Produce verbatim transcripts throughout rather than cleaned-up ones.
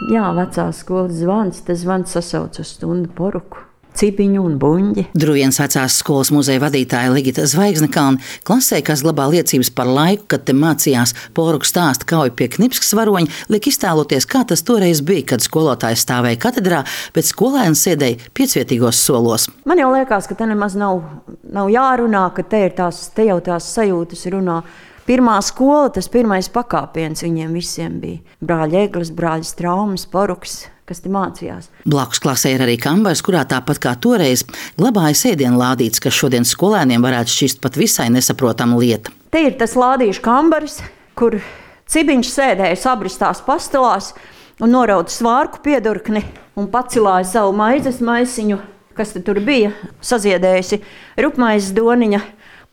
Jā, vecās skolas zvans, tas zvans sasauc uz stundu poruku. Cipiņu un buņģi. Druvienas vecās skolas muzeja vadītāja Ligita Zvaigznekalne klasē, kas glabā liecības par laiku, kad te mācījās poruku stāsta Kauja pie Knipskas varoņa, liek iztēloties, kā tas toreiz bija, kad skolotājs stāvēja katedrā, bet skolēns sēdēja piecvietīgos solos. Man jau liekas, ka te nemaz nav, nav jārunā, ka te, ir tās, te jau tās sajūtas runā. Pirmā skola, tas pirmais pakāpiens viņiem visiem bija. Brāļa Eglis, brāļa Straumes, poruks, kas te mācījās. Blakus klasē ir arī kambars, kurā tāpat kā toreiz glabājas ēdienu lādītes, kas šodien skolēniem varētu šķist pat visai nesaprotama lieta. Te ir tas lādīšu kambaris, kur Cibiņš sēdēja sabristās pastelās un norauda svārku piedurkni un pacilāja savu maizes maisiņu, kas te tur bija, saziedējusi rupmaizes doniņa.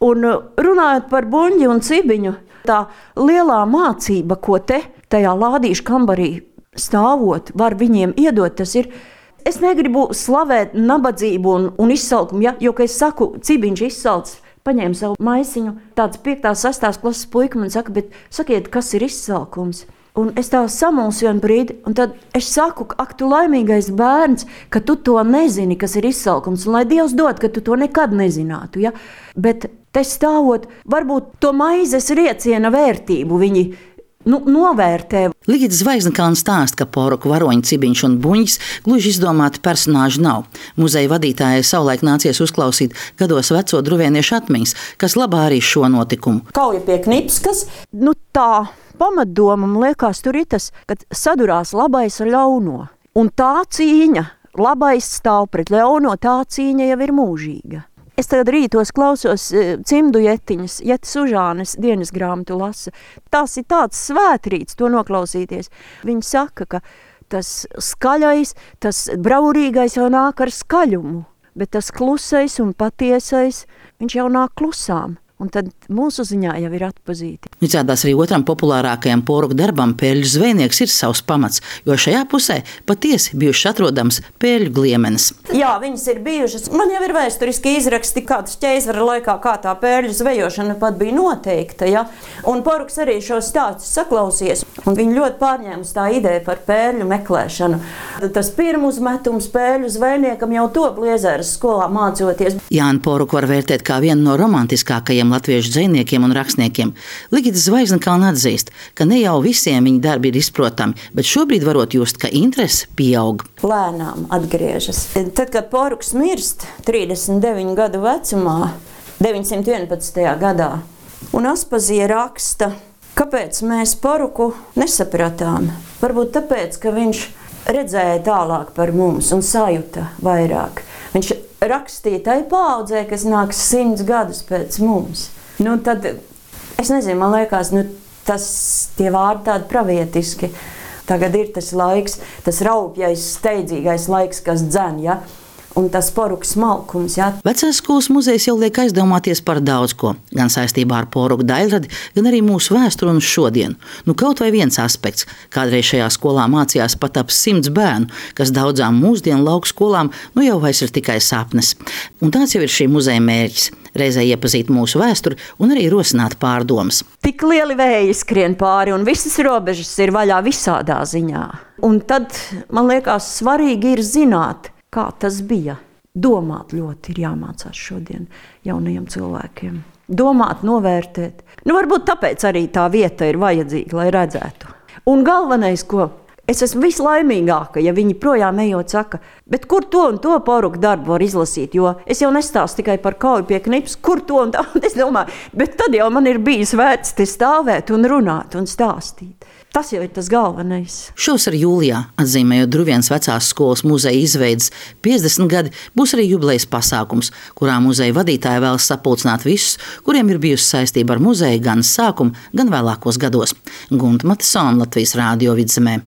Un runājot par buņģi un cibiņu, tā lielā mācība, ko te tajā lādīšu kambarī stāvot, var viņiem iedot, tas ir, es negribu slavēt nabadzību un, un izsalkumu, ja? Jo, ka es saku, Cibiņš izsalts, paņēma savu maisiņu, tāds piektās, sestās klases puika man saka, bet sakiet, kas ir izsalkums? Un es tā samulsu vienu brīdi, un tad es saku, ak, tu laimīgais bērns, ka tu to nezini, kas ir izsalkums, un lai Dievs dod, ka tu to nekad nezinātu, ja? Bet te stāvot, varbūt to maizes rieciena vērtību viņi nu, novērtē. Ligita Zvaigznekalne stāsta, ka poruku varoņi Cibiņš un Buņģis gluži izdomāti personāži nav. Muzeja vadītājai savulaik nācies uzklausīt gados veco druvieniešu atmiņas, kas labā arī šo notikumu. Kauja pie Knipskas, nu tā pamatdoma, man liekas, tur ir tas, kad sadurās labais ar ļauno. Un tā cīņa, labais stāv pret ļauno, tā cīņa jau ir mūžīga. Es tagad rītos klausos cimdu jetiņas, Jetas Užānes dienas grāmatu lasa. Tas ir tāds svētrīts to noklausīties. Viņi saka, ka tas skaļais, tas braurīgais jau nāk ar skaļumu, bet tas klusais un patiesais, viņš jau nāk klusām. Un tad mūsu ziņā jau ir atpazīti. Izrādās arī otram populārākajam poruku darbam Pēļu zvejnieks ir savs pamats, jo šajā pusē patiesi bijušas atrodams pēļu gliemenes. Jā, viņas ir bijušas. Man jau ir vēsturiski izraksti, kāds ķeizara laikā, kā tā pēļu zvejošana pat bija noteikta. Ja? Un poruks arī šo stāstu saklausies. Un viņi ļoti pārņēmas tā ideja par pēļu meklēšanu. Tas pirmuzmetums pēļu zvejniekam jau top Liezēras skolā mācoties. Jāni poruku var vērtēt kā vienu no romantiskākajiem latviešu dzejniekiem un rakstniekiem. Ligita Zvaigznekalne atzīst, ka ne jau visiem viņa darbi ir izprotami, bet šobrīd varot just, ka interese pieaug. Lēnām atgriežas. Tad, kad poruks mirst trīsdesmit deviņu gadu vecumā, deviņsimt vienpadsmitajā gadā, un Aspazija raksta, kāpēc mēs poruku nesapratām. Varbūt tāpēc, ka viņš redzēja tālāk par mums un sajuta vairāk. Viņš rakstīja tai paaudzē, kas nāks simts gadus pēc mums. Nu, tad, es nezinu, man liekas, nu, tas tie vārdi tādi pravietiski. Tagad ir tas laiks, tas raupjais, steidzīgais laiks, kas dzen, ja? Un tas poruku smalkums. Ja? Vecās skolas muzejs jau liek aizdomāties par daudz ko, gan saistībā ar poruku daļradi, gan arī mūsu vēsturi un šodienu. Nu, kaut vai viens aspekts. Kādreiz šajā skolā mācījās pat ap simts bērnu, kas daudzām mūsdienu lauku skolām nu jau vairs ir tikai sapnes. Un tāds jau ir šī muzeja mērķis. Reizē iepazīt mūsu vēsturi un arī rosināt pārdomas. Tik lieli vēji skrien pāri un visas robežas ir vaļā visādā ziņā. Un tad, man liekas, svarīgi ir zināt, kā tas bija. Domāt ļoti ir jāmācās šodien jaunajiem cilvēkiem. Domāt, novērtēt. Nu, varbūt tāpēc arī tā vieta ir vajadzīga, lai redzētu. Un galvenais, ko es esmu vislaimīgāka, ja viņi projām ejot saka, bet kur to un to poruku darbu var izlasīt, jo es jau nestāstu tikai par Kauju pie Knipskas, kur to un tā, un es domāju, bet tad jau man ir bijis vērts te stāvēt un runāt un stāstīt. Tas jau ir tas galvenais. Šovasar jūlijā, atzīmējot Druvienas vecās skolas muzeja izveides piecdesmit gadi, būs arī jubilejas pasākums, kurā muzeja vadītāja vēlas sapulcināt visus, kuriem ir bijusi saistība ar muzeju gan sākumu, gan vēlākos gados. Gunta Matisona, Latvijas Rādio Vidzemē.